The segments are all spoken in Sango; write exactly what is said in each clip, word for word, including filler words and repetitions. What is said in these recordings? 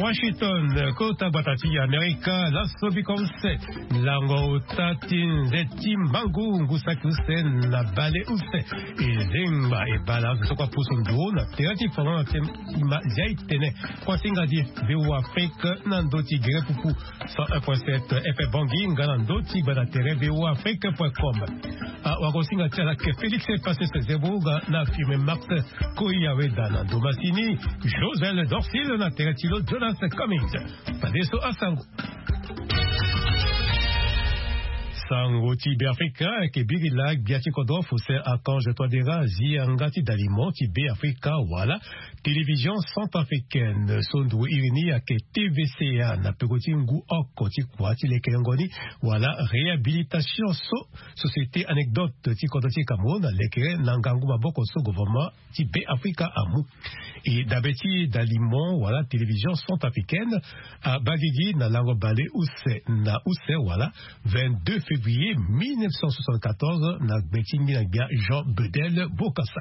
Washington, kota gbata ti Amerika, laso biko use, lango ota ti nze ti mangu ngu saki use na bale use, e zengba e bale azo so kue apusu nduru na tere ti folon na ti ma zia e tene. Kuasinga di V O A Afrique na ndö ti gere pupu cent un point sept F M Bangui nga na ndö ti gbata tere V O A Afrique point com. Ah, wakosinga ti ala ke Félix Passes Zebouga na firme Max Koyaweda na ndo masini, Josel Dorsil na tere ti lo Jonas Cummings. Fadeso asango. Sango ti Beafrika ayeke biri laa gbia ti kodro Faustin Archange Touadéra azi yanga ti dalimo ti Beafrika wala Télévision Centrafricaine. So nduru iri ni ayeke T V C A na peko ti ngu oko ti kua ti lekelengo ni wala réhabilitation so Société Anecdote ti kodro ti Cameroun alekere na ngangu maboko so gouvernement ti Beafrika amu. E dabe ti dalimo wala Télévision Centrafricaine abaa gigi na lango bale use na use wala vingt-deux février mille neuf cent soixante-quatorze na gbe ti ngbina gbia Jean Bedel Bokassa.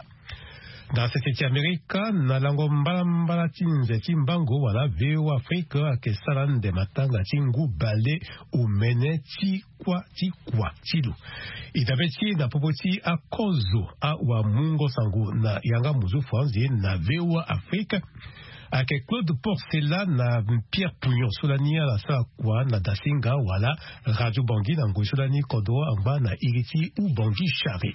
Na sese ti Amerika, na lango mbalambala ti nze ti mbango wala V O A Afrique ayeke sara nde matanga ti ngu bale omene ti kua ti kua ti lo. E dabe ti na popo ti akozo awamungo sango na yanga muzu franzi na V O A Afrique. Ayeke Claude Porcela na Pierre Pouillon so lani ala sara kua na dasinga wala Radio Bangui na ngoi so lani kodro angba na iri ti Oubangui Charé.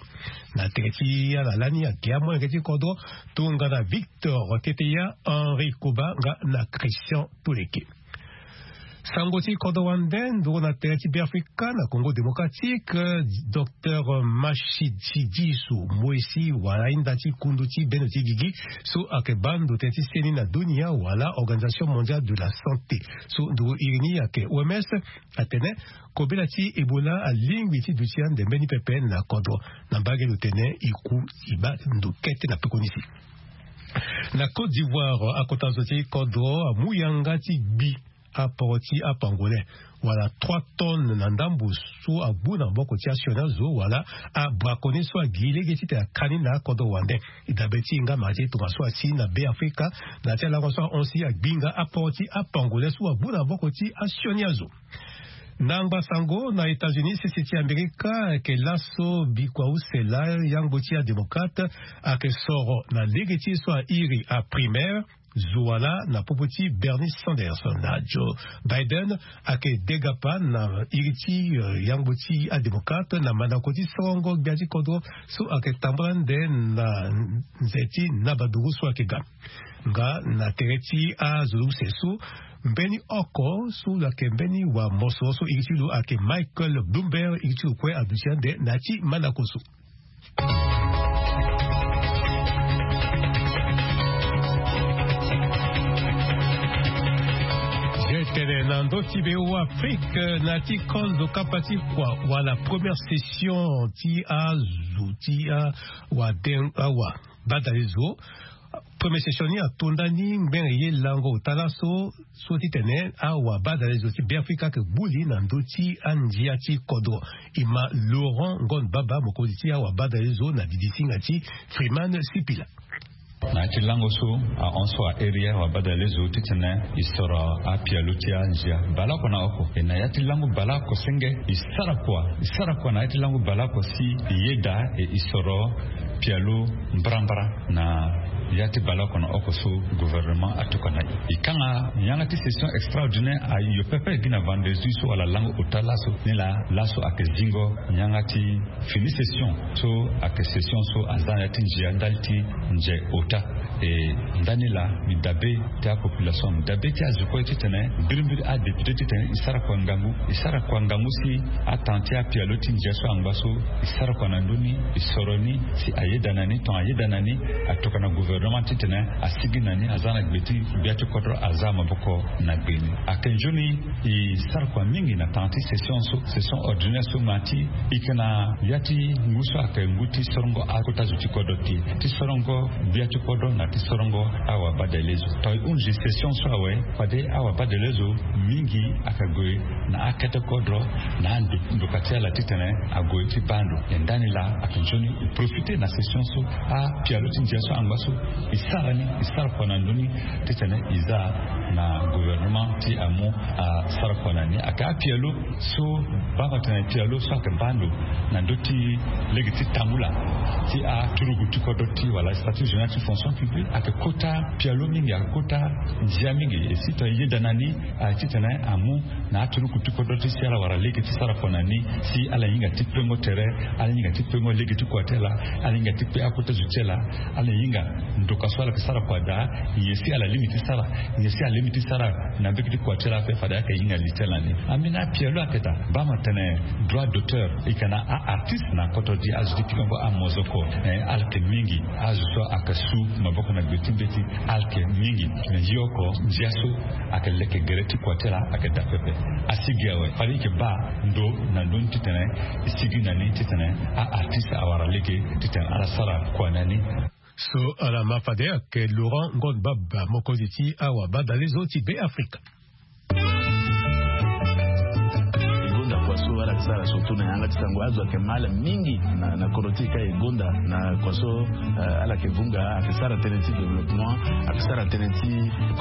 Na tere ti ala lani ayeke amolenge ti kodro tongana Victor Teteya, Henri Koba nga na Christian Toleke. Sango ti kodro wande nduru na tere ti Beafrika na Congo Démocratique, Docteur Matshidiso Moïse wala ahinda ti kundu ti bendo ti gigi so ayeke baa ndo tënë ti seni na dunia wala Organisation Mondiale de la Santé. So nduru iri ni ayeke O M S atene kobela ti Ebola alingbi ti duti ande mbeni pepe na kodro. Na mbage lo tene e ku e baa ndo kete na pekoni si. Na Côte d'Ivoire, akota zo ti kodro amu yanga ti gbi aporo ti apangolais wala trois tonnes na ndambo so agbu na maboko ti asioni azo wala abraconnier so agi lege titene aka ni na akodro wande. E dabe ti hinga mara ti e tongaso asi na Beafrika na ya ti alango so ahon si agbi nga aporo ti apangolais so agbu na maboko ti asioni azo. Na ngba sango na États-Unis, sese ti Amerika ayeke laso bikua use laa yangbo ti adémocrate ayeke soro na lege ti e so airi aprimaire zo wala na popo ti Bernie Sanders. Na Joe Biden ayeke degapa na iri ti, eh, yangbo ti adémocrate na mandako ti sorongo gbia ti kodro so ayeke tambula nde na nze ti nabaduru so ayeke ga. Nga na tere ti azo use so mbeni oko so lo yeke mbeni wa mosoro so iri ti lo ayeke Michael Bloomberg, iri ti lo kue aduti ande na ya ti mandako so. Tene na ndö ti V O A Afrique na ya ti kozo kapa ti kua wala première session ti azo ti awaden awa badalezo. Première session ni ato ndani ngbene ye lango ota laso so titene awabadalezo ti Beafrika ayeke gbu li na ndö ti andia ti kodro. E ma Laurent Ngon Baba, mokonzi ti awabadalezo na didisinga ti Freeman Sipila. Na ya ti lango so ahon so airi awabadalezo titene e soro apialo ti andia baleoko na oko. E na ya ti lango baleoko senge e sara kua, e sara kua na ya ti lango baleoko si e yeda e e soro pialo mbrambra na ya ti baleoko na oko so gouvernement atokua na e. E kanga yanga ti session extraordinaire ayo pepe gi na vendredi so wala lango ota laso ni laa laso ayeke zingo yanga ti fini session so ayeke session so aza na ya ti ndia ndali ti nze ota. E ndani laa mbi dabe ti apopulation, mbi dabe ti azo kue titene mbirimbiri adéputé titene e sara kua ngangu, e sara kua ngangu si atanga ti apialo ti ndia so angba so e sara kua na ndö ni, e soro ni si ayeda na ni, tongana ayeda na ni atokua na gouvernement titene asigi na ni, aza na gbe ti gbia ti kodro, aza maboko na gbe ni. Ayeke nzoni e sara kua mingi na tanga ti session so, session ordinaire so, ma ti e yeke na ya ti ngu so ayeke ngu ti sorongo akota zo ti kodro te, ti sorongo gbia ti kodro na ti sorongo awabadalezo. Tongana e hunzi session so awe, fade awabadalezo mingi ayeke gue na akete kodro na ando ndoka ti ala titene ague ti baa ndo. E ndani laa ayeke nzoni e profite na session so apialo ti ndia so angba so E sara ni, e sara kua na ndö ni titene e za na gouvernement ti amu asara kua na ni. Ayeke apialo so baa tene pialo so ayeke baa ndo na ndö ti lege ti tambula ti aturugu ti kodro ti wala statut général ti fonction publique ayeke kota pialo mingi, ayeke kota ndia mingi. E si tongana e yeda na ni, titene amu na aturuku ti kodro ti si ala wara lege ti sara kua na ni, si ala hinga ti pengo tere, ala hinga ti pengo lege ti kua ti ala, ala hinga ti pe akota zo ti ala, ala hinga ndoka so ala yeke sara kua daa. Nyen si ala lingbi ti sara, nyen si ala lingbi ti sara na mbege ti kua ti ala ape, fade ayeke hinga li ti ala ni. Ambeni apialo ayeke daa, baa ma tene droit d'auteur e yeke na aartiste na kodro ti azo ti pikango amozoko. Eh, ala yeke mingi. Azo so ayeke su maboko na gbe ti mbeti ala yeke mingi. Me ye oko ndia so ayeke leke gere ti kua ti ala ayeke daa pepe. Asigi awe fade e yeke baa ndo na ndö ni titene e sigi na ni titene aartiste awara lege titene ala sara kua na ni. So ala ma fade ayeke Laurent Ngon Baba, mokonzi ti awabadalezo ti Beafrika. E gonda kua so ala yeke sara surtout na yanga ti sango, azo ayeke mal mingi na, na kodro ti e ka. E gonda na kua so, eh, ala yeke vunga, ayeke sara tënë ti développement, ayeke sara tënë ti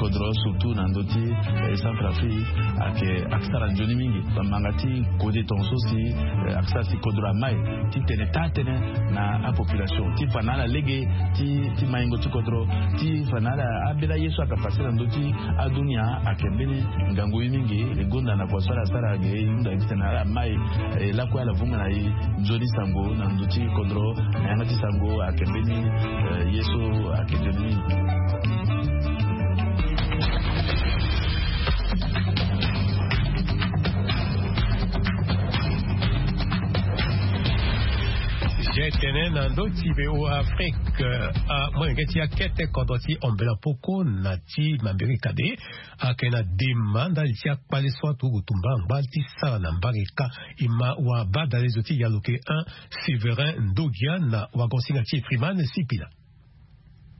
kodro surtout na ndö ti, eh, Centrafrique, ayeke, ayeke sara nzoni mingi. Bamanga ti kode tongaso si, eh, ayeke sara si kodro amai ti tene taa tënë na apopulation ti fa na ala lege ti, ti maingo ti kodro, ti fa na ala ambeni aye so ayeke pase na ndö ti adunia. Ayeke mbeni ngangu ye mingi. E gonda na kua so ala sara ge, e hunda gi titene ala mai, eh, lakue ala vunga na e nzoni sango na ndö ti kodro na yanga ti sango. Ayeke mbeni, eh, ye so ayeke nzoni mingi. Sujet tene na ndö ti V O A Afrique, ah, molenge ti akete kodro ti Ombela Poko na ti Mambiri Kade ayeke na dema ndali ti akpale so aturugu tumba angba ti sara na mbage ka. E ma wabadalezo ti Yaluke un, Séverin Ndogia na wagonsinga ti e Freeman Sipila.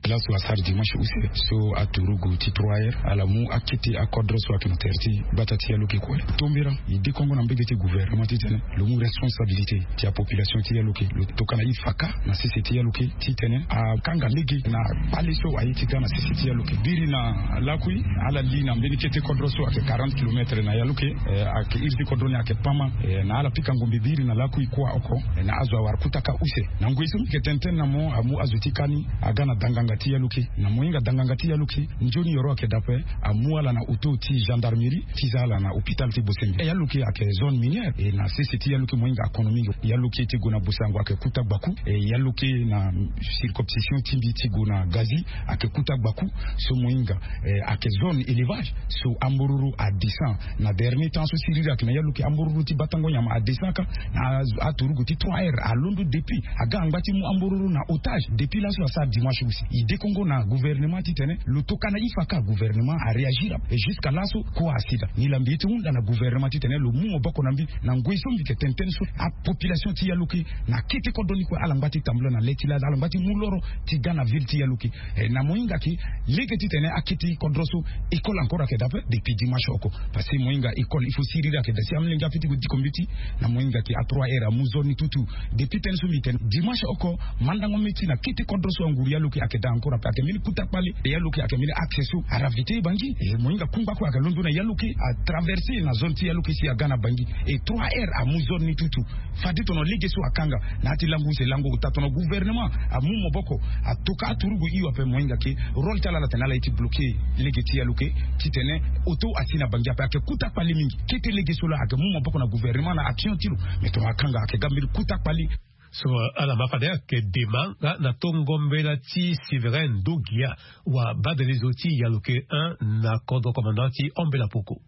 Laso asara dimanche use so aturugu ti trois heures ala mu akete akodro so ayeke na tere ti gbata ti Yaluke kue. Tombera e dekongo na mbege ti gouvernement titene lo mu responsabilité ti apopulation ti Yaluke, lo tokana e faka na sese ti Yaluke titene akanga lege na kpale so aye ti ga na sese ti Yaluke. Biri na lakui ala li na mbeni kete kodro so ayeke quarante kilomètres na Yaluke, eh, ayeke iri ti kodro ni ayeke pama, eh, na ala pika ngombe biri na lakui kuâ oko, eh, na azo awara kutaka use. Na ngoi so mbi yeke tene tënë na mo, amu azo ti kani aga na danganga ti Yaluke. Na mo hinga danganga ti Yaluke, nzoni yoro ayeke daa ape, amu ala na auto ti gendarmerie ti za ala na hôpital ti Bosembe. Yaluke ayeke zone minière, e na sese ti Yaluke mo hinga akono mingi. Yaluke ti gue na Bosango ayeke kuta gbaku, e Yaluke na circonscription ti mbi ti gue na Gazi ayeke kuta gbaku. So mo hinga, eh, ayeke zone élevage. So ambororo adescend na dernier temps so siriri ayeke na Yaluke, ambororo ti batango nyama adescend ka. Na aturugu ti trois heures alondo depuis aga angba ti mu ambororo na otage. Depuis laso asara dimanche aussi, e dekongo na gouvernement titene lo tokana e faka, gouvernement aréagir ape. Et jusqu'à laso kua asi daa. Nilaa mbi ye ti hunda na gouvernement titene lo mu maboko na mbi. Na ngoi so mbi yeke tene tënë so, apopulation ti Yaluke na kete kodro ni kue ala ngba ti tambula na le ti laa, ala ngba ti mu loro ti ga na ville ti Yaluke. Eh, na mo hinga ke lege titene akete kodro so, école encore ayeke daa ape depuis dimanche oko. Parce que mo hinga école il faut siriri ayeke daa si amolenge ape ti gue diko mbeti. Na mo hinga ke a trois heures amu zone ni tutu. Depuis tënë so mbi tene dimanche oko, mandango mbeti na kete kodro so anguru Yaluke ayeke daa encore ape. Ayeke mbeni kuta kpale. E Yaluke ayeke mbeni axe so aravite Bangui. E mo hinga kungba kue ayeke londo na Yaluke, atraverse na zone ti Yaluke si aga na Bangui. E trois heures amu zone ni tutu. Fade tongana lege so akanga na ya ti lango use, lango ota, tongana gouvernement amu maboko, atoka aturugu hio ape, mo hinga ke rôle ti ala ala tene ala ye ti bloquer lege ti Yaluke titene auto asi na Bangui ape. Ayeke kuta kpale mingi. Kete lege so laa ayeke mu maboko na gouvernement na action ti lo. Mais tongana akanga ayeke ga mbeni kuta kpale. So ala ma fade ayeke dema nga na tongo mbela ti Séverin Ndogia, wabadalezo ti Yaluke un na kodro commandant ti Ombela Poko.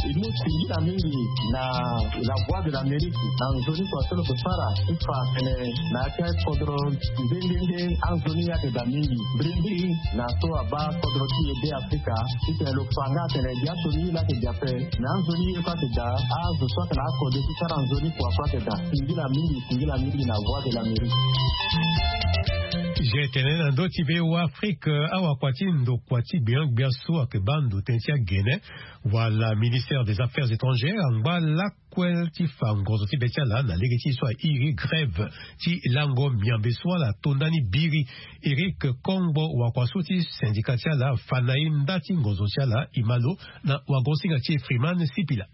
E mu singila mingi na La Voix de l'Amérique na nzoni kua so lo yeke sara ti fa tene na ya ti akodro nde nde nde anzoni ye ayeke daa mingi. Mbirimbiri na so abaa kodro ti e Beafrika titene lo fa nga atene biaso ni ye laa ayeke daa ape. Me anzoni ye kue ayeke daa, azo so atene akode ti sara nzoni kua kue ayeke daa. Singila mingi, singila mingi na Voix de l'Amérique. Ge tene na ndö ti be wa afrike, awakua ti ndokua ti gbiangbia so ayeke baa ndo tënë ti agene, wala ministère des affaires étrangères angba lakue ti fa ngonzo ti be ti ala na lege ti so airi grève ti lango miambe so ala to ndani biri. Eric Kongbo, wakua so ti syndicat ti ala afa na ye nda ti ngonzo ti ala. Imalo na wagosinga ti e Freeman Sipila.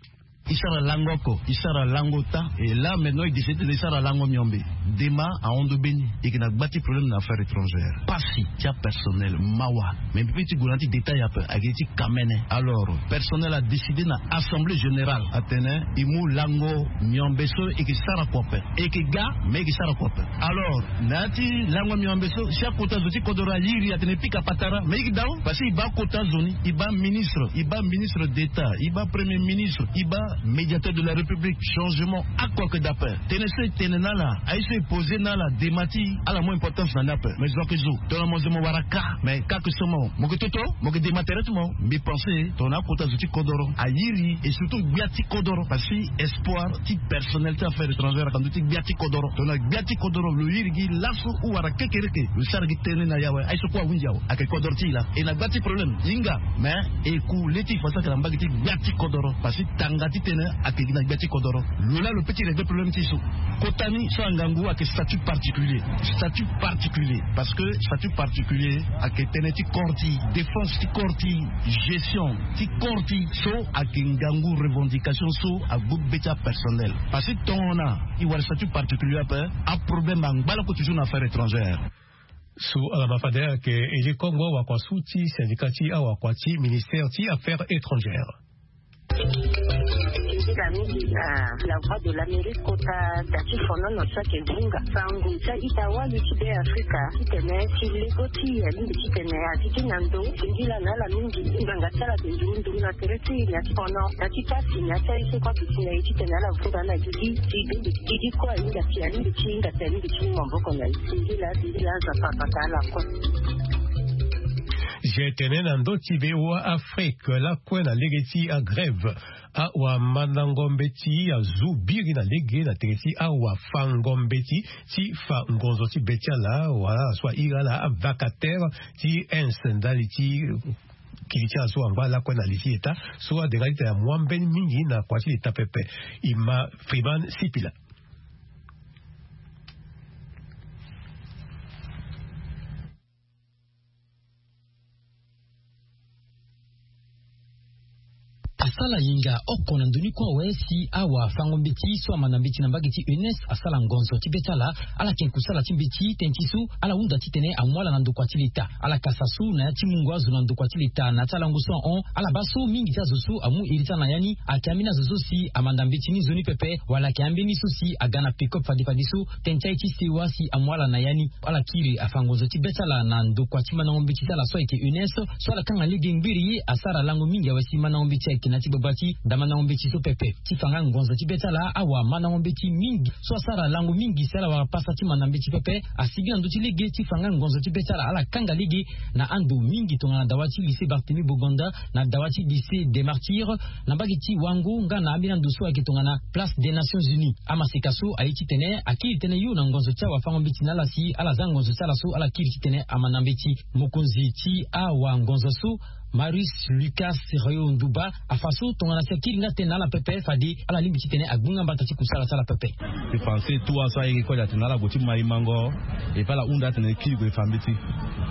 E sara lango oko, e sara lango ota. Et là maintenant e décide tene e sara lango miombe. Dema ahon ndo mbeni. E yeke na gba ti problème na affaire étrangère. Pasi ti apersonnel mawa. Mais mbi pe ti gue na ti détail ape, ayeke ti kamene. Alors personnel a décidé na assemblée générale atene e mu lango miombe so e yeke sara kua ape. E yeke ga, mais e yeke sara kua ape. Alors na ya ti lango miombe so, si akota zo ti kodoro ayiri atene e pika patara, mais e yeke dao. Parce que e baa kota zo ni, e baa ministre, e baa ministre d'état, e baa premier ministre, e baa médiateur de la république. Changement oko ayeke daa ape. Tënë so e tene na ala, aye so e posé na ala, dema ti ala mu importance na ni ape. Mais zo ayeke zo, tongana mo zo mo wara ka, mais ka ayeke so mo, mo yeke toto, mo yeke dema tere ti mo. Mbi pensé tongana akota zo ti kodoro ayiri, et surtout gbia ti kodoro, parce que espoir ti personnel ti affaire étrangère ayeke na ndö ti gbia ti kodoro. Tongana gbia ti kodoro lo iri gi laso ou wala kekereke, lo sara gi tënë na e awe, aye so kue ahunzi awe, ayeke kodoro ti e laa. E na gba ti problème e hinga, mais e ku le ti e fa so ayeke na mbage ti gbia ti kodoro, parce que tanga ti tënë ayeke gi na gbia ti kodoro. Lo laa lo pe ti régler problème ti e so. Kota ni so angangu ayeke statut particulier. Statut particulier. Parce que statut particulier ayeke tënë ti corps ti e, défense ti corps ti e, gestion ti corps ti e. So ayeke ngangu revendication so agbu be ti apersonnel. Parce que tongana e wara statut particulier ape, aproblème angba lako toujours na affaire étrangère. So ala ma fade ayeke Eli Kongbo, wakua so ti syndicat ti awakua ti ministère ti affaires étrangères. Nzila mingi na La Voix de l'Amérique kota da ti fonono so ayeke hunga sango ti a-ita wali ti Beafrika titene ti lego ti e alingbi titene a ti gi na ndo. Singila na ala mingi ngbanga ti ala ayeke nduru nduru na tere ti e na ya ti fono, na ya ti pasi, na ya ti aye so kue ayeke si na e titene ala vunga na gigi ti gigi kue ahinga ti alingbi ti hinga ti alingbi ti mu maboko na e. Singila, singila, Nzapa abata ala kue. Ge tene na ndö ti V O A Afrique lakue na lege ti agrève. Awamandango mbeti azu biri na lege na tere ti awafango mbeti ti fa ngonzo ti be ti ala wala ala so airi ala avacataire ti ins ndali ti kili ti ala so angba lakue na li ti leta so adenga titene amu ambeni mingi na kua ti leta pepe. Ima Freeman Sipila. Asala yinga oko na ndoni kue awe si awafango mbeti so amanda mbeti na mbage ti U N S asala ngonzo ti be ti ala. Ala yeke kusala ti mbeti tënë ti so ala hunda titene amu ala na ndokua ti leta. Ala kasa so na ya ti mungo azo na ndokua ti leta na ya ti alango so ahon. Ala baa so mingi ti azo so amu iri ti ala na ya ni ayeke ambeni azo so si amanda mbeti ni nzoni pepe wala ayeke ambeni so si aga na pick-up fade fade so tënë ti aye ti sewa si amu ala na ya ni. Ala kiri afa ngonzo ti be ti ala na ndokua ti mandango mbeti ti ala so ayeke U N S so ala kanga lege ngbiri ye asara lango mingi awe si mandango mbeti ayeke na ya ti gbagba ti da mandango mbeti so pepe. Ti fa nga ngonzo ti be ti ala awamandango mbeti mingi so asara lango mingi si ala wara pasa ti manda mbeti pepe asigi na ndö ti lege ti fa nga ngonzo ti be ti ala ala kanga lege na ando mingi tongana dawa ti lycée Barthélemy Boganda, na dawa ti lycée des Martyrs, na mbage ti Wango nga na ambeni ando so ayeke tongana Place des Nations Unies. Amaseka so aye titene akiri tënë yo na ngonzo ti awafango mbeti na ala si ala za ngonzo ti ala so ala kiri titene amanda mbeti. Mokonzi ti awangonzo so, Marius Lucas Rayo Nduba, afa so tongana si akiri nga tënë na ala pepe fade ala lingbi titene agbu nga mbata ti kusala ti ala pepe. Ti français tua so ayeke kue atene ala gue ti ma e mango. E pe ala hunda atene e kiri gue e fa mbeti.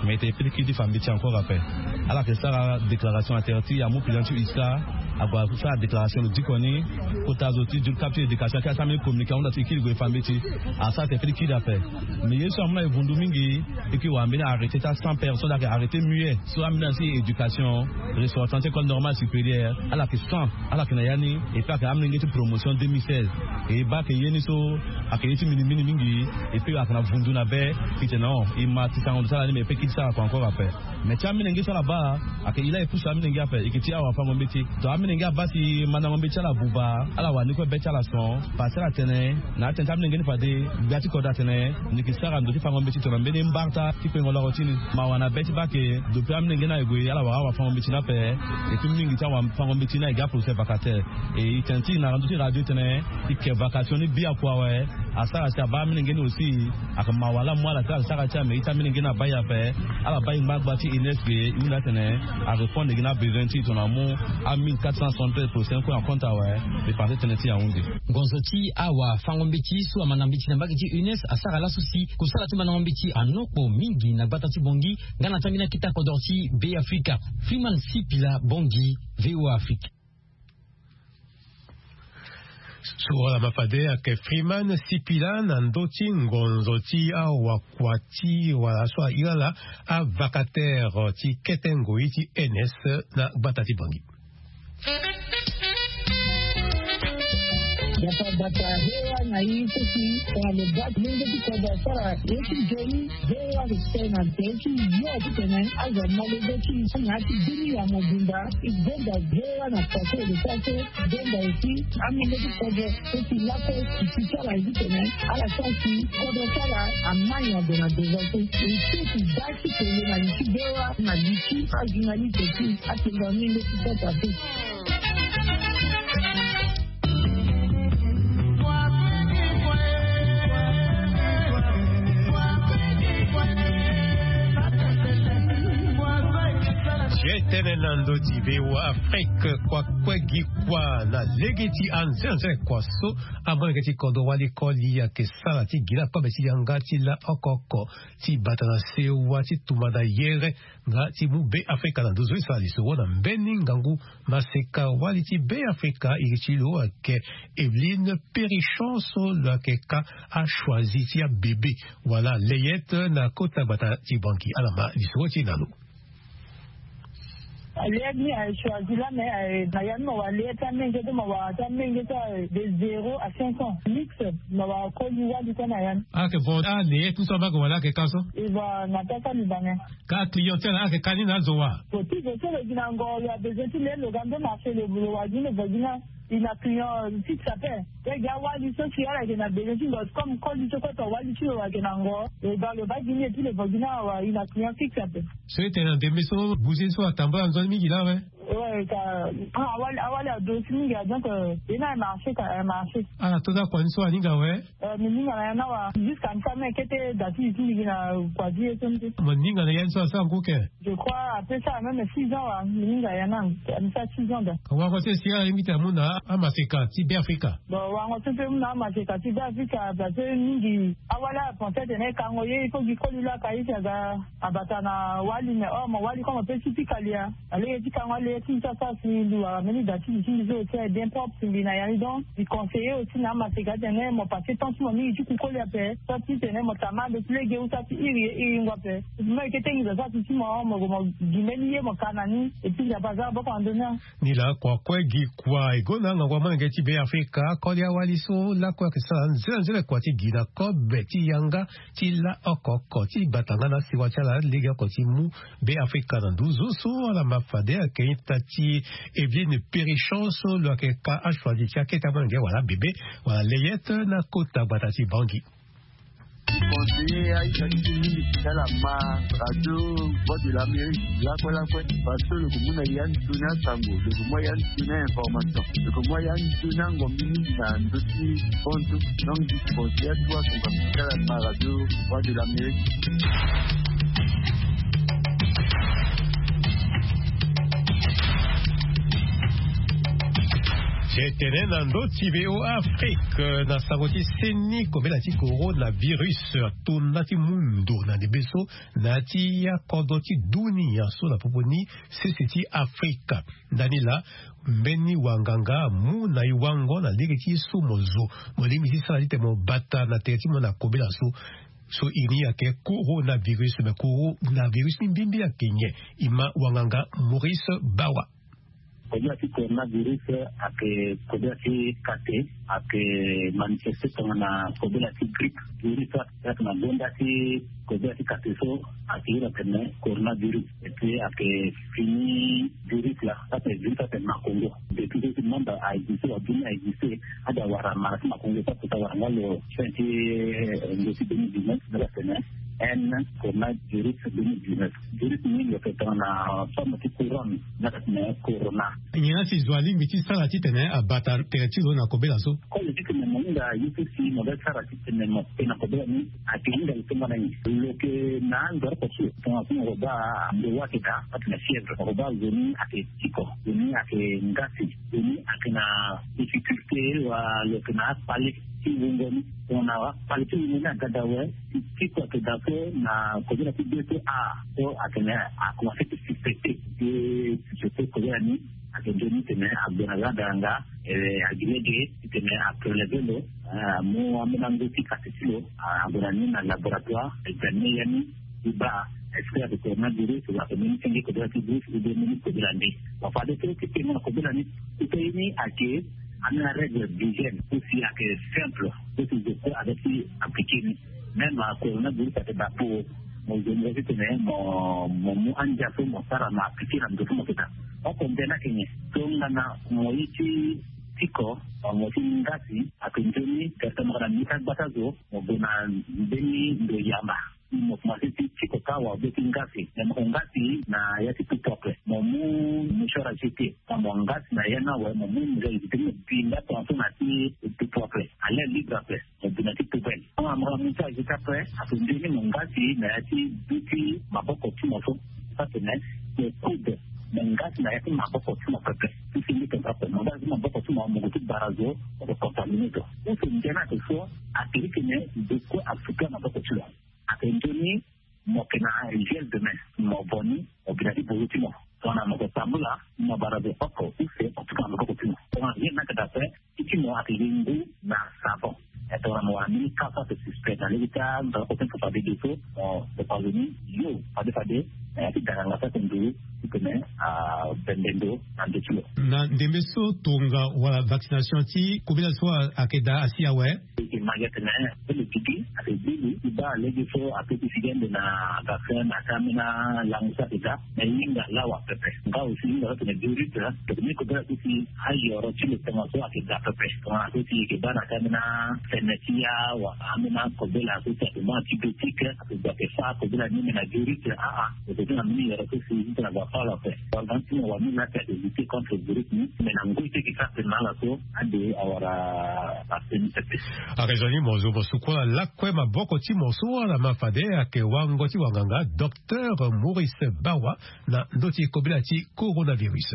Mais e tene e pe ti kiri ti fa mbeti encore ape. Ala yeke sara déclaration na tere ti amu président ti USCA. Ague asara déclaration lo diko ni. Kota zo ti du cap ti éducation ayeke asara mbeni communiqué ahunda ti e kiri gue e fa mbeti. Asara tene e pe ti kiri ape. Mais ye so amu na e vundu mingi. E yeke wara mbeni arrêté ti acent personnes ayeke arrêté muet. So ambeni asi éducation, restaurateur ti école normale supérieure, ala yeke cent, ala yeke na ya ni. Et puis ayeke amolenge ti promotion deux mille seize. E baa ayeke ye ni so ayeke ye ti minimini mingi. Et puis ayeke na vundu na be. E tene non, e ma ti sango ndo ti ala ni, mais e pe kiri ti sara kua encore ape. Mais ti amolenge so ala baa ayeke e laa e pusu amolenge ape, e yeke ti awafango mbeti. Donc amolenge abaa si mandango mbeti ti ala abuba, ala wara ni kue be ti ala son. Pasi ala tene na atene ti amolenge ni fade gbia ti kodro atene ni yeke sara ndo ti fango mbeti tongana mbeni mbarta ti kpengo loro ti ni. Mawa na be ti baa ayeke depuis amolenge ni aye gue ala wara awafango mbeti ni ape. Et puis mingi ti awafango mbeti ni aye gi aprocès vacataire. Et e tene ti e na ndö ti radio titene e ke Vacation ni bi akua awe. Asara si abaa amilenge ni aussi. Aka mawa laa mu ala ti ala sara ti ame ita amilenge ni abaa ye ape. Ala baa ye ngba gba ti ines ge. Ye hunda atene arépondre gi na abesoin ti e tongana amu amille quatre cent soixante-treize pour cent kue na compte awe. Dépense tënë ti ahunde. Ngonzo ti awafango-mbeti so amanda mbeti na mbage ti ines asara laso si kosala ti mandango mbeti anokpo mingi na gbata ti bongi. Nga na tambeni akita kodro ti be afrika. Freeman sipila bongi. Voa afrika. Sura la mafade ake freeman sipila na ndo ti ngonzo ti awakua ti wala so ahira la avakatere ti kete ngoi ti ns na gbata ti bongi. Bata bata hewa na i sesi. Tongana lo bati lenge ti kodo asara ye ti joni. Hewa respect na tënë ti yo ti tene azo malege ti na ya ti bini ya mobimba. I gbenda hewa na kua so e lo sara so. Gbenda aussi amenge ti kodo so si lakue si ti sara ye ti tene ala sara si kodo ti ala amai na ndo na ndo so. E sesi da ti pele na li ti hewa na li ti ajournaliste ti atenda menge ti kota so. Ye tënë na ndö ti voa afrique kua kue gi kua na lege ti anzenze kua so. Amolenge ti kodro wali koli ayeke sara ti gi la kobe ti yanga ti la oko oko ti bata na sewa ti tumba na yere nga ti mu be afrika na nduzu e sara lisoro na mbeni ngangu. Maseka wali ti be afrika iri ti lo ayeke eveline perichon so lo ayeke ka achoisi ti abebe wala leyete na kota gbata ti banki ala ma lisoro ti e na lo. Leyete ni aye choisi la me aye na ya ni ma wara leyete ti amenge so ma wara ti amenge so aye de zéro à cinq ans mix. Ma wara koli wali so na ya ni. Ayeke vo aleyete ni so ama yeke wara ayeke ka so. E vo na ta so alingba me. Ka client ti ala ayeke ka ni na azo wa. Lo ti zo so lo gi na ngo lo abezoin ti le lo ga ndo marché lo wara gi ni lo vo gi ni. E na client fixe ape. Pe gi awali so si ala yeke na bezoin ti lo comme koli so kue to wali ti lo ayeke na ngo. Lo ga lo baa gi ni epui lo vo gi ni awa e na client fixe ape. So e tene na ndembe so bouger so atambula nzoni mingi laa awe. Awali ado si mingi a donc. E na aye marché ka aye marché. Ala to ti akua ni so aninga awe. Mi ninga na ya ni awa jusqu'à mi sara même kete da ti li ti mbi gi na kua ti ye so ni te. Mo ninga na ya ni so asara ngu ke. Je crois apesa même six ans wa mi ninga ya ni. Mi sara six ans da. Wango so e si ala ye mbi tena amu na amaseka ti be afrika. Bon wango so mpe mu na amaseka ti be afrika parce que mingi awali ala pense tena e kango ye il faut gi koli lo aka ye si aga. Abata na wali mais or mo wali comme ape si ti kalia. Alege ti kango alege ti mbi so asara si mbi wara mbeni da ti li ti mbi so aussi aye bien propre si mbi na ya ni donc mbi conseiller aussi na amaseka atene mo passe temps ti mo mingi ti kukoli ape. So ti tene mo tama ande ti lege ou sa ti iri ye iri ngu ape. Mo yeke tengi zo sa ti ti mo mo gue mo gi mbeni ye mo ka na ni. Et puis nzapa aza aboko na ndoni. Ni laa kua kue gi kua e gonda ngangu amolenge ti be afrika akoli awali so lakue ayeke sara nzele nzele kua ti gi na kobe ti yanga ti la oko oko ti bata nga na asiwa ti ala lege oko ti mu be afrika na nduzu so ala ma fade ayeke ita ti eveline perichon so lo yeke ka achoisi ti akete amolenge wala abebe wala leyete na kota gbata ti bangi. Conseiller aita ti ti mingi ti ala ma radio voix de l'amérique lakue lakue. Parce que lo ko mu na ya ni toni asango lo ko mu ya ni toni information lo ko mu ya ni toni angombi mingi na ndö ti kontu. Donc di conseiller atuwa songa ti ala ma radio voix de l'amérique. Ti e tene na ndö ti voa afrique na sango ti seni kobela ti coronavirus atona ti mu ndo na ndembe so na ya ti akodro ti dunia so na popo ni sese ti afrika. Ndani laa mbeni wanganga amu na e wango na lege ti ye so mo zo mo lingbi ti sara titene mo bata na tere ti mo na kobela so. So e ni ayeke coronavirus me coronavirus ni mbimbi ayeke nyen? E ma wanganga maurice bawa. Kobela ti coronavirus ayeke kobela ti kate. Ayeke manifeste tongana kobela ti grippe. Virus ayeke na gonda ti kobela ti kate so ayeke iri atene coronavirus. Epui ayeke fini virus la. Ape virus ape makongo depuis so ti manda a existe wa bini a existe. Ade awara mara ti makongo so ape ti awara nga lo fin ti ngo ti deux mille dix-neuf. Nga la tene N, coronavirus deux mille dix-neuf. Virus ni lo yeke tongana forme ti couronne, na yeke tene corona. Nyen la si zo alingbi ti sara titene abata tere ti lo na kobela so? Koli titene mo hinga ye so si mo ga sara titene mo ke na kobela ni, ayeke hinga lo tongana nyen? Lo yeke na ando oko so, tongana so mo ko baa ndo wa ayeke daa, atene fièvre, mo ko baa zo ni ayeke tiko, zo ni ayeke ngasi, zo ni ayeke na difficulté, wala lo yeke na akpale ti wungo ni. Tongana akpale ti wungo ni aga daa awe, ti tiko ayeke daa so na kobela ti be so, a so atene akomanse ti suspecté. Ti suspecté kobela ni, ayeke nzoni titene ague na ga daa nga, eh, agi lege titene apreleve lo, eh, amu ambeni ango ti kati ti lo, ah, ague na ni na laboratoire, examine ya ni, ti baa est-ce que ayeke coronavirus, wala ayeke mbeni senge kobela ti virus, ou bien mbeni kobela nde. Bon, fade so ti tengo na kobela ni, ti pe ye ni ayeke ambeni arègle d'hygiène, so si ayeke simple, so si zo kue aza ti appliqué ni. Même coronavirus ayeke daa po mo zo ni titene mo, mo mu andia so mo sara mo appliqué na ndo so mo yeke daa. Oko nde ni ayeke nyen? Tongana mo ye ti tiko, mo ti ngasi, ayeke nzoni, certainement na mbeni ka gbata zo, mo gue na mbeni ndo yamba. Mo komanse ti tiko kâ wala be ti ngasi. Me mo ko ngasi na ya ti tupu ape. Mo mu mouchoir à jeter. Mo ngasi na ya ni awe, mo mu mouchoir à jeter, mo bi nda tongaso na ti tupu ape. À l'air libre ape. Mo bi na ti poubelle. Tongana mo ga mouchoir à jeter ape, ayeke nzoni mo ngasi na ya ti bi ti maboko ti mo so. Atene mo coude, mo ngasi na ya ti maboko ti mo pepe. Ti fini tongaso ape, mo ngasi maboko ti mo, mo gue ti bara zo, mo ko contaminé zo. Use ndia ni ayeke so, ayeke iri titene zo kue asukia maboko ti lo. Ayeke nzoni mo yeke na gel de main, mo vo ni, mo bi na ti bozo ti mo. Tongana mo yeke tambula, mo bara zo oko use, mo tuka na maboko ti mo. Tongana gel ni ayeke daa ape, ti ti mo ayeke gi ngu na savon. E tongana mo wara mbeni ka so ayeke suspect na lege ti andara oko ti mo fade ge so, mo kapa zo ni yo fade fade na ya ti danganga so ayeke nduru titene abembe ndo na ndö ti lo. Na ndembe so tonga wala vaccination ti kobela so ayeke daa asi awe. E yeke ma gi atene, pe lo gigi ayeke gigi ti baa lege so ape ti figi ande na vaccin na ka ambeni alango so ayeke daa. Me hinga lawa pepe. Nga aussi hinga so atene virus, tokoni kobela so si ayoro ti lo tongaso ayeke daa pepe. Tongana so si e yeke baa na ka ambeni afene ti ya wala ambeni akobela so si ayeke baa antibiotique, ayeke gue ayeke fâ kobela ni me na virus, aa. E yeke baa na mbeni yoro so si titene ague afâ lo ape. Wala ti mo wani laa si ayeke lutter contre virus ni, me na ngoi ti e yeke sara tene na ala so ade awara vaccin ni pepe. Ayeke zo ni mo zo mo suku ala lakue maboko ti mo so ala ma fade ayeke wango ti wanganga, docteur Maurice Bawa, na ndö ti kobela ti coronavirus.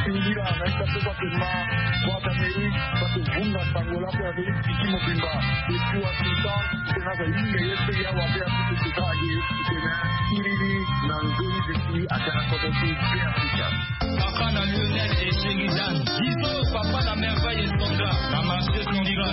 Singila na ita so bake ma, bwa d'Amérique bake vunga sango la pe Amérique ti mobimba. Depuis Washington, tena za yinga ye pe ya wa pe ya kutu kuta age, tena iriri na nzoni zeki atena koto ti be Afrika. Papa na Lionel et Sheridan. Biso papa na merveille et Sandra. Na marché Sandra.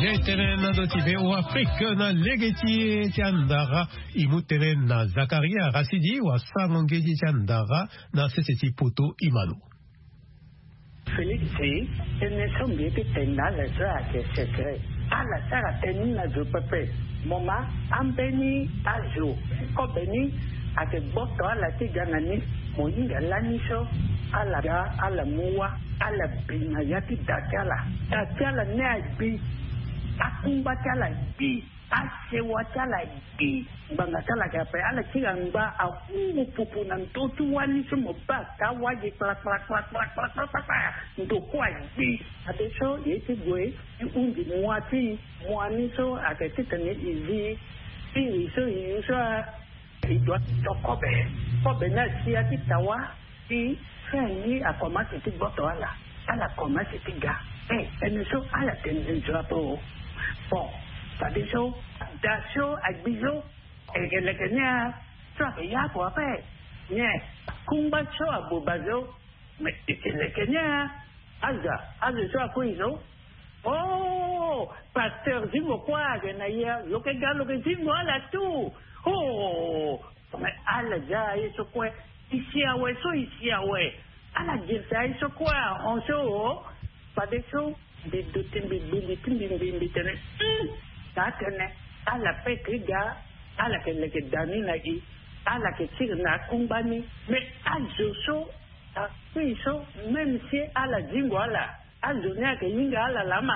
Ye tene na ndo ti V O Afrique na lege ti e ti andara. E mu tene na Zakaria Rasidi wa sango ngedi ti andara na sese ti poto. E ma lo. Félix, tënë so mbi ye ti tene na ala so ayeke secret. Ala sara tënë ni na zo pepe. Mo ma, ambeni azo ti kobe ni ayeke gboto ala ti ga na ni. Mo hinga lani so ala ga, ala mu wâ, ala bi na ya ti da ti ala. Da ti ala ni agbi. Akungba ti ala agbi. Asewa ti ala gbi, ngbanga ti ala ga ape, ala ti ga ngba ahungu pupu na ndö ti wani so mo baa taa wagi kpala kpala kpala kpala kpala kpala kpala. Ndo kue agbi. Ade so e ye ti gue ti hunzi mua ti e, mua ni so ayeke titene e zi ti e so e yu so a. E dua ti to kobe. Kobe ni asi ya ti tawa. Ti fin ni akomanse ti gboto ala. Ala komanse ti ga. E, tënë so ala tene nzoni ape o. Bon, fadeso da so agbi so, e yeke leke ni a, so ayeke ya kua ape. Nyen? Kungba so aboba so. Me e yeke leke ni a. Aza, aza so akui so. Oh, pasteur zingo kue ayeke na ya, lo yeke ga lo yeke zingo ala tout. Oh, me ala za aye so kue. E si awe so e si awe. Ala girisa aye so kue ahon so o. Fadeso Mbi duti, mbi gbundi ti mbi, mbi mbi tene, hmm, taa tene ala pe ke ga, ala ke leke da ni na i, ala ke tiri na akungba ni. Mais azo so akui so, même si ala zingo ala, azo ni ayeke hinga ala laa ma.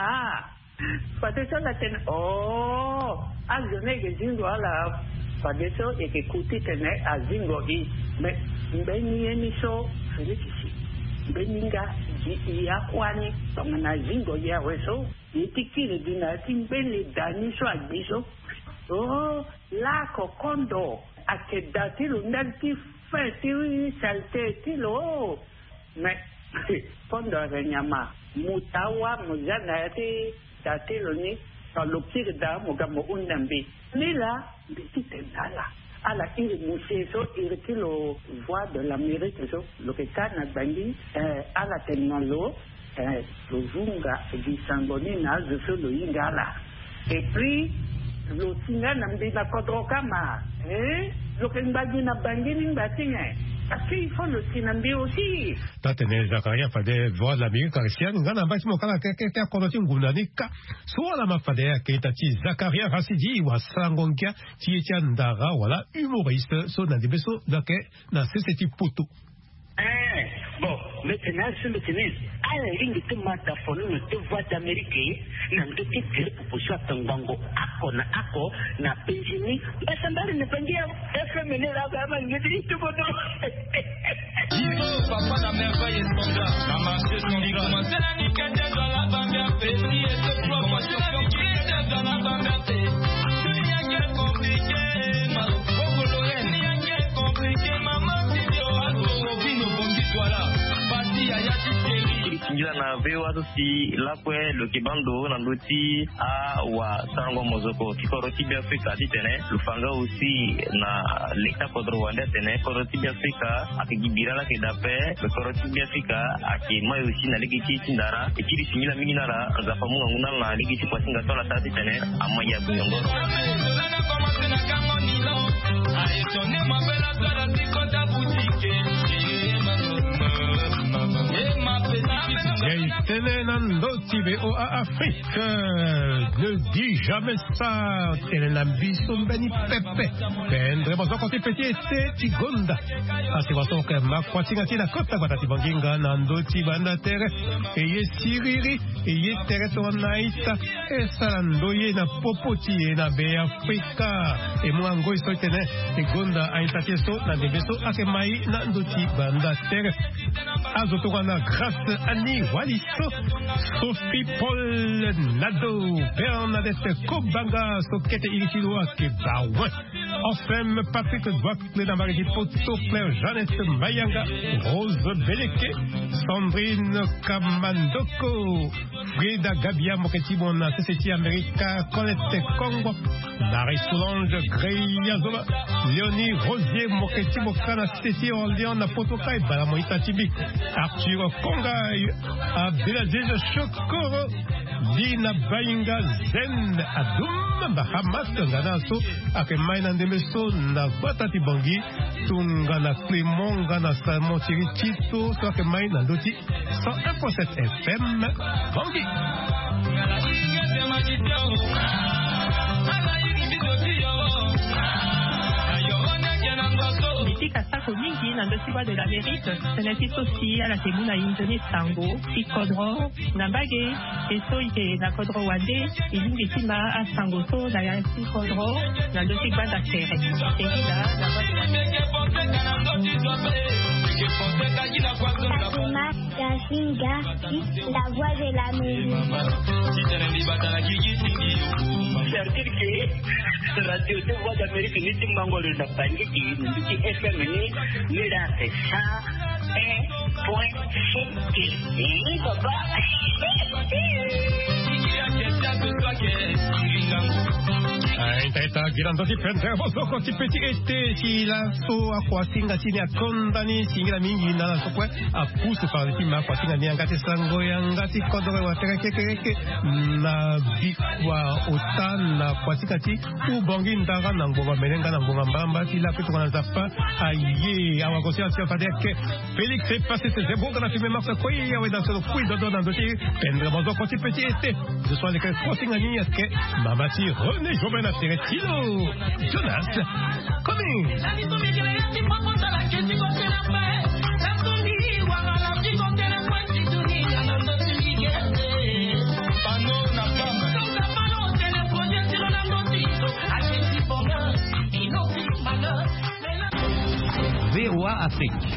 Fadeso ala tene, oh, azo ni ayeke zingo ala. Fadeso e yeke ku titene azingo i. Mais mbeni ye ni so, Félix si, mbeni nga gi i akua ni tongana azingo i awe so, ye ti kiri gi na ya ti mbeni da ni so agbi so. Oh, lako kondo ayeke da ti lo ndali ti fin ti saleté ti lo. Mais kondo ayeke nyama, mo taa wâ mo zia na ya ti da ti lo ni. Tongana lo kiri daa, mo ga mo hunda mbi. Nilaa mbi titene ala, ala iri mo se so, iri ti lo Voix de l'Amérique so, lo yeke ka na Bangui, eh, ala tene na lo, eh, lo vunga gi sango ni na azo so lo hinga ala. Et puis lo si nga na mbi na kodro kâ ma, eh, lo yeke ngba gi na Bangui ni ngba ti nyen? Parce que il faut lo si na mbi aussi. Taa tene Zakaria fade Voix de l'Amérique ayeke siani nga na mbage ti mo kâ na keke ti akodro ti ngonda ni kâ. So ala ma fade ayeke ita ti Zakaria Rasidi, wasango-ngia ti ye ti andara wala humoriste so na ndembe so lo yeke na sese ti poto. Eh, bon, mbi tene azo so mbi tene ala lingbi ti ma dafonono ti Voix d'Amérique na ndö ti tere popo so atongbango oko na oko na penzi ni. Mbasambare na Bangui awe. F M ni laa, ama ngeti ti kodo. Papa, la merveille est son gars. La marche est son gars. Singila na V O A so si lakue lo yeke baa ndo na ndö ti awasango mozoko ti kodro ti Beafrika titene lo fa nga aussi na leta kodro wande atene kodro ti Beafrika ayeke gi bira laa ayeke daa ape. Kodro ti Beafrika ayeke mai aussi na lege ti e ti ndara. E kiri singila mingi na ala. Nzapa amu ngangu na ala na lege ti kuasinga so ala sara titene amai ague nyongoro. Ya e tene na ndö ti V O A Afrique. Ne dis jamais ça. Tene na mbi so mbeni pepe. Pendre mozoko ti pe ti ete ti gonda. Asi waso oke ma kuasinga ti na kota gbata ti Bangui nga na ndö ti banda tere. E ye siriri, e ye tere tongana ita. E sara ndoye na popo ti e na Beafrika. E mu angoi so tene e gonda a-ita ti e so na ndembe so ayeke mai na ndö ti banda tere. Azo tongana Grâce Annie Waliso, Sophie Paul Nado, Bernadette Kobanga so kete iri ti lo ayeke Bawen. Anselme Patrick Doicle na mbage ti poto, Claire Jeannette Mayanga, Rose Beleke, Sandrine Kamandoko, Frida Gabia, mo yeke ti mo na sese ti Amerika, Colette Kongo, Marie Solange Greya Zoba, Léonie Rosier, mo yeke ti mo kâ na sese ti Orléans na poto kâ, e bala mo ita ti mbi, Arthur Kongai, Abdelaziz Shokoro, Lina Bainga, Zen Adoum, Bahamas, tongana so ayeke mai na ndembe so na gbata ti Bangui, tongana Clément nga na Salomon Thierry Tito so ayeke mai na ndö ti cent un point sept F M, Bangui. Mbi pika sako mingi na ndö ti Voix de l'Amérique, tënë ti so si ala yeke mu na inzo ni sango ti kodro na mbage, e so e yeke na kodro wande, e lingbi ti ma asango so na ya ti kodro na ndö ti gbanda tere. Tengila na Voix de l'Amérique. Gafinga, la Voix de l'Amérique. C'est-à-dire que radio de Voix d'Amérique ni ti mango lo na Bangui ti ni ti F M ni, ni la c'est cent un point sept. Ni papa. Ah, ita, ita, gi na ndö ti pendre mozoko ti pe ti ete ti laso akuasinga ti ni akonda ni singila mingi na ala so kue apusu parle ti ma kuasinga ni yanga ti sango yanga ti kodoro wa tere kekereke na bikua ota na kuasinga ti Ubangui ndara na ngbonga mene nga na ngbonga mbamba ti lakue tongana Nzapa aye awagosi asia fade eke. Félix est passé ses ébauches dans la fumée marche koi awe dans son kui dodo na ndoti. Pendra bozo koti petit été. Je sois le sporting ani est-ce que mama ti René Joven a tiré tilo. Jonas coming. V O A Afrique.